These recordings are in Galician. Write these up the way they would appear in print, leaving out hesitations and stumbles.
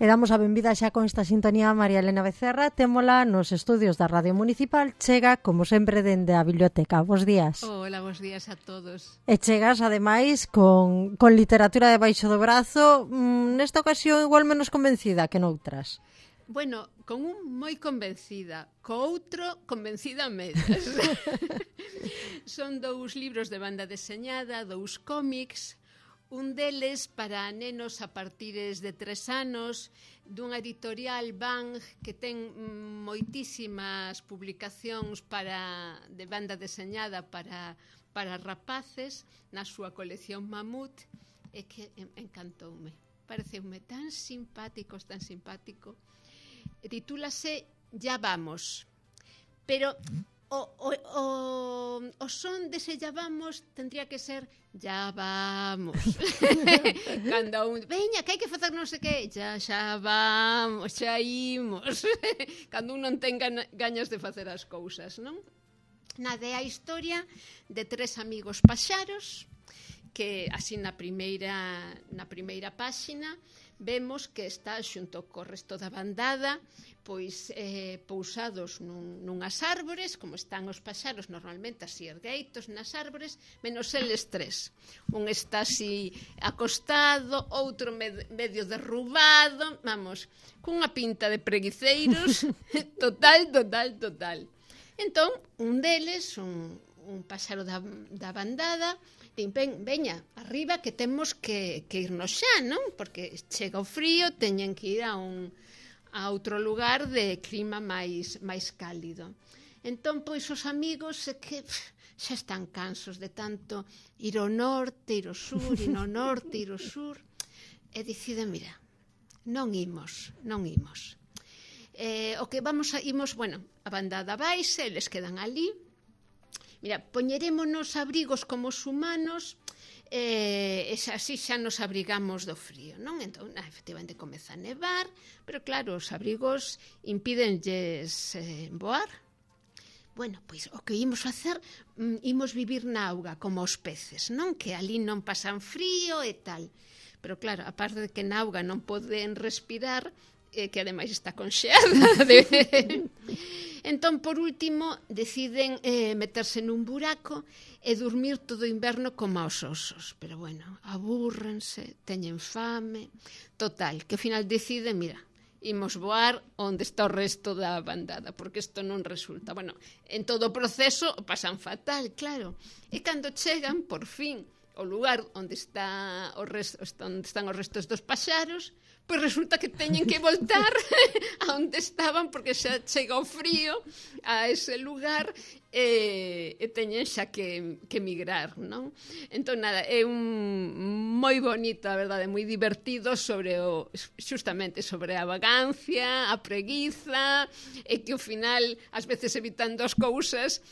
E damos a benvida xa con esta sintonía a María Elena Becerra. Témola nos estudios da Radio Municipal. Chega, como sempre, dende a biblioteca. Bos días. Hola, bos días a todos. E chegas, ademais, con literatura debaixo do brazo. Nesta ocasión, igual menos convencida que noutras. Bueno, con un moi convencida, co outro convencida a medias. Son dous libros de banda deseñada, dous cómics. Un deles para nenos a partires de 3 anos, dunha editorial Bang que ten moitísimas publicacións de banda deseñada para rapaces na súa colección Mamut, e que encantoume. Pareceume tan simpático, Titúlase Ya vamos. Pero o son dese ya vamos tendría que ser ya vamos. Cando veña, que hai que facer non sei que, xa vamos, xa imos. Cando un non ten gañas de facer as cousas, non? Nada, é a historia de 3 amigos paxaros que así na primeira páxina vemos que está xunto co resto da bandada pois pousados nunhas árbores, como están os paxaros normalmente así ergueitos nas árbores, menos eles 3. Un está así acostado, outro medio derrubado, vamos, cunha pinta de preguiceiros total. Entón, un deles, un paxaro da bandada, veña, arriba que temos que irnos xa, non? Porque chega o frío, teñen que ir a outro lugar de clima máis cálido. Entón, pois, os amigos que xa están cansos de tanto ir ao norte, ir ao sur, ir ao norte, ir ao sur, e deciden, mira, non imos. O que imos, bueno, a bandada vaise, eles quedan ali. Mira, poñerémonos abrigos como os humanos e así xa nos abrigamos do frío, non? Entón, efectivamente, comeza a nevar, pero claro, os abrigos impídenlles voar. Bueno, pois o que imos facer, imos vivir na auga como os peces, non? Que ali non pasan frío e tal. Pero claro, a parte de que na auga non poden respirar, que ademais está conxeada. Entón, por último, deciden meterse nun buraco e dormir todo o inverno como aos osos. Pero bueno, abúrrense, teñen fame. Total, que ao final deciden, mira, imos voar onde está o resto da bandada, porque isto non resulta. Bueno, en todo o proceso pasan fatal, claro. E cando chegan, por fin, ao lugar onde están os restos dos paxaros, pois resulta que teñen que voltar a onde estaban porque xa chega o frío a ese lugar e teñen xa que migrar, non? Entón, nada, é un moi bonito, a verdade, moi divertido justamente sobre a vagancia, a preguiza, e que ao final, ás veces evitando as cousas,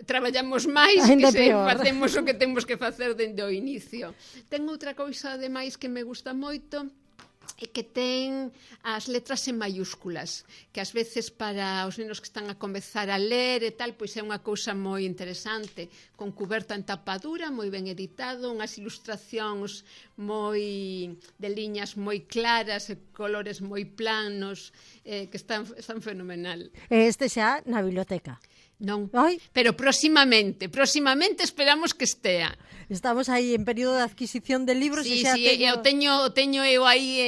traballamos máis que se facemos o que temos que facer dende o inicio. Ten outra cousa, ademais, que me gusta moito, e que ten as letras en mayúsculas, que ás veces para os nenos que están a comezar a ler e tal, pois é unha cousa moi interesante, con cuberta en tapadura, moi ben editado, unhas ilustracións de liñas moi claras e colores moi planos, que están fenomenal. Este xa na biblioteca. Non, pero próximamente esperamos que estea. Estamos aí en período de adquisición de libros. Sí, eu teño eu aí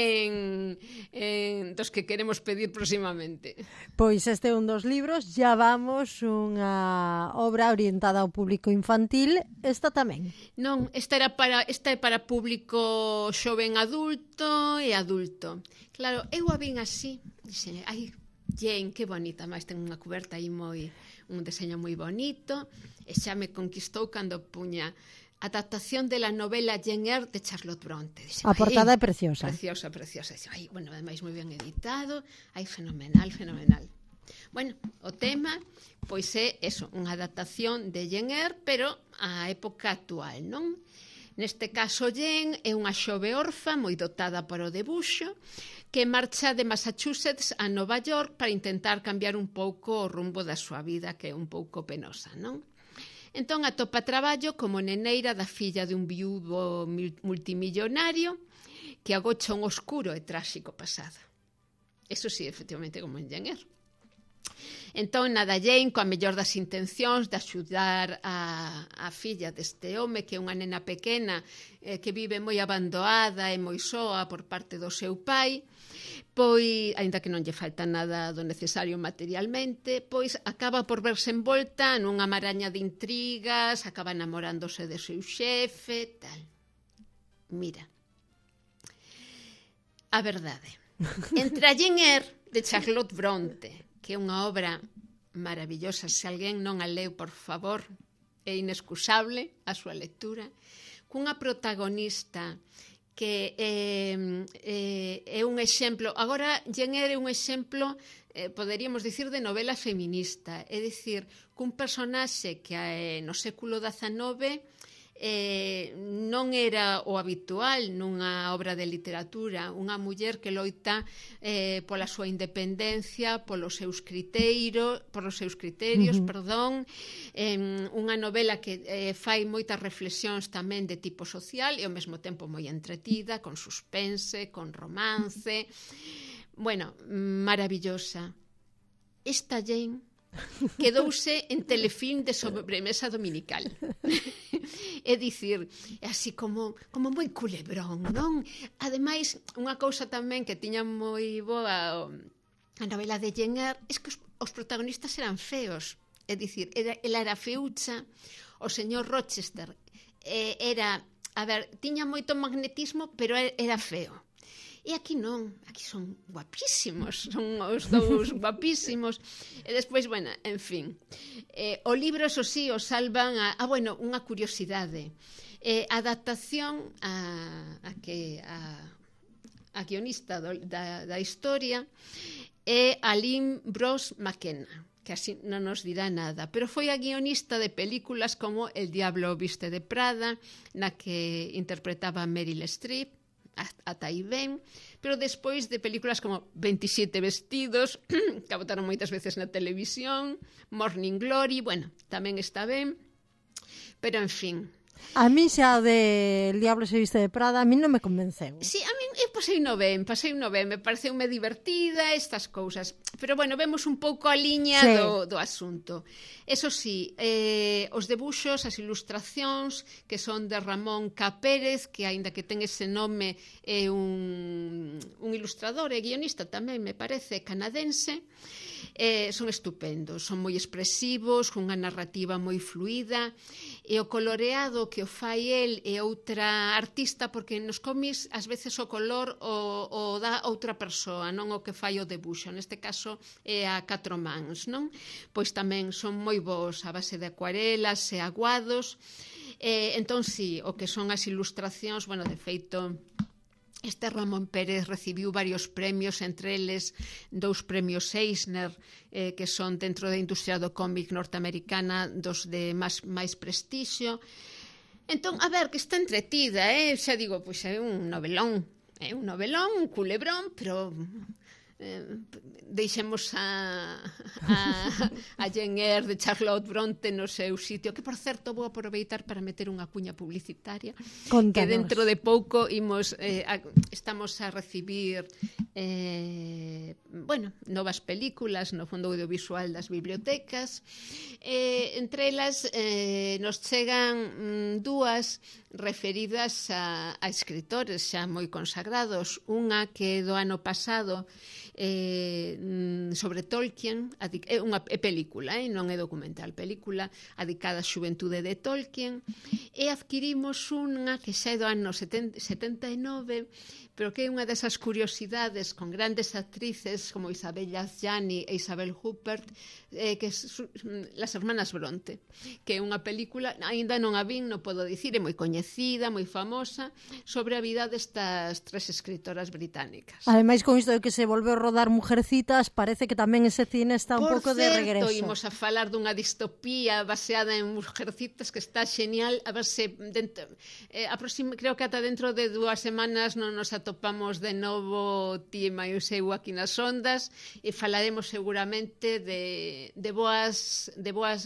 en dos que queremos pedir próximamente. Pois este é un dos libros, Ya vamos, unha obra orientada ao público infantil. Esta tamén? Non, esta é para público xoven adulto e adulto. Claro, eu a vin así, dixen, ai, Jane, que bonita, máis ten unha cuberta aí un deseño moi bonito, e xa me conquistou cando puña adaptación de la novela Jane Eyre de Charlotte Bronte. Dixe, a portada é preciosa. Preciosa. Ai, bueno, ademais moi ben editado, ai, fenomenal. Bueno, o tema, pois é eso, unha adaptación de Jane Eyre, pero á época actual, non? Neste caso, Jane é unha xove orfa moi dotada para o debuxo, que marcha de Massachusetts a Nova York para intentar cambiar un pouco o rumbo da súa vida, que é un pouco penosa, non? Entón atopa traballo como neneira da filla de un viúvo multimillonario que agocha un oscuro e tráxico pasado. Eso sí, efectivamente, como en Jane Eyre. Entón, nada, Jane, coa mellor das intencións de axudar a filla deste home, que é unha nena pequena que vive moi abandoada e moi soa por parte do seu pai, pois, aínda que non lle falta nada do necesario materialmente, pois acaba por verse envolta nunha maraña de intrigas, acaba enamorándose do seu xefe, tal. Mira, a verdade, entre a Jane Eyre de Charlotte Bronte, que é unha obra maravillosa, se alguén non a leu, por favor, é inexcusable a súa lectura, cunha protagonista que é un exemplo, agora Jane Eyre é un exemplo, poderíamos dicir, de novela feminista, é dicir, cun personaxe que no século XIX non era o habitual nunha obra de literatura, unha muller que loita pola súa independencia, polos seus criterios, perdón, unha novela que fai moitas reflexións tamén de tipo social e ao mesmo tempo moi entretida, con suspense, con romance. Bueno, maravillosa. Esta Jane quedouse en Telefilm de sobremesa dominical. É dicir, así como moi culebrón, non? Ademais, unha cousa tamén que tiña moi boa a novela de Jane Eyre é que os protagonistas eran feos. É dicir, ela era feucha, o señor Rochester era, a ver, tiña moito magnetismo, pero era feo. E aquí non, aquí son guapísimos, son os dous guapísimos. E despois, bueno, en fin. O libro, eso sí, o salvan bueno, unha curiosidade. A adaptación a guionista da historia é Aline Brosh McKenna, que así non nos dirá nada, pero foi a guionista de películas como El diablo viste de Prada, na que interpretaba Meryl Streep, ata aí ben, pero despois de películas como 27 vestidos, que botaron moitas veces na televisión, Morning Glory, bueno, tamén está ben, pero en fin. A mí xa de El diablo se viste de Prada, a mí non me convenceu. Sí, a mí pasei no ben, me pareceume divertida estas cousas, pero bueno, vemos un pouco a liña do asunto. Eso sí, os debuxos, as ilustracións, que son de Ramón K. Pérez, que aínda que ten ese nome é un ilustrador e guionista tamén, me parece, canadense, son estupendos, son moi expresivos, cunha narrativa moi fluida, e o coloreado que o fai el e outra artista, porque nos cómics ás veces o color o dá outra persoa, non o que fai o debuxo, neste caso é a catro mans, non? Pois tamén son moi bons a base de acuarelas e aguados, entón si, o que son as ilustracións, bueno, de feito, este Ramón Pérez recibiu varios premios, entre eles 2 premios Eisner, que son dentro da industria do cómic norteamericana dos de máis prestixio. Entón, a ver, que está entretida, xa digo, pois é un novelón, un culebrón, pero deixemos a Jane Eyre de Charlotte Bronte no seu sitio, que por certo vou aproveitar para meter unha cuña publicitaria. Contanos. Que dentro de pouco estamos a recibir novas películas no fondo audiovisual das bibliotecas, entre elas nos chegan 2 referidas a escritores xa moi consagrados, unha que do ano pasado sobre Tolkien, é película, non é documental, película dedicada á xuventude de Tolkien, e adquirimos unha que xa é do ano 79, pero que é unha desas curiosidades con grandes actrices como Isabel Gianni e Isabel Huppert, que Las hermanas Bronte, que é unha película, aínda non a vin, non podo dicir, é moi coñecida, moi famosa, sobre a vida destas 3 escritoras británicas. Ademais, con isto de que se volveu rodar Mujercitas, parece que tamén ese cine está un pouco de regreso. Por certo, imos a falar dunha distopía baseada en Mujercitas que está genial, a ver se creo que ata dentro de 2 semanas non nos atopamos de novo ti e eu aquí nas ondas e falaremos seguramente de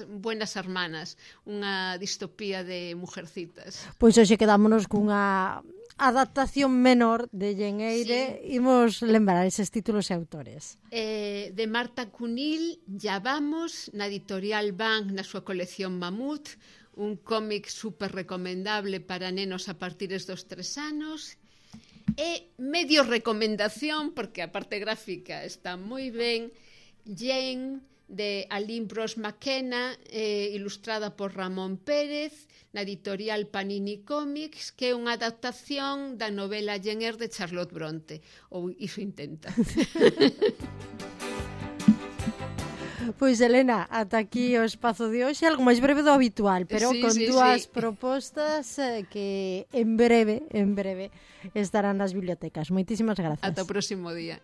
buenas hermanas, unha distopía de Mujercitas. Pois hoxe quedámonos cunha adaptación menor de Jane Eyre, sí. Imos lembrar eses títulos e autores. De Marta Cunil, Ya vamos, na editorial Bank, na súa colección Mamut, un cómic super recomendable para nenos a partir dos 3 anos, e medio recomendación, porque a parte gráfica está moi ben, Jane, de Aline Brosh McKenna, ilustrada por Ramón Pérez, na editorial Panini Comics, que é unha adaptación da novela Jane Eyre de Charlotte Bronte, ou iso intenta. Pois, Elena, ata aquí o espazo de hoxe, algo máis breve do habitual, pero con dúas propostas que en breve estarán nas bibliotecas. Moitísimas grazas. Ata o próximo día.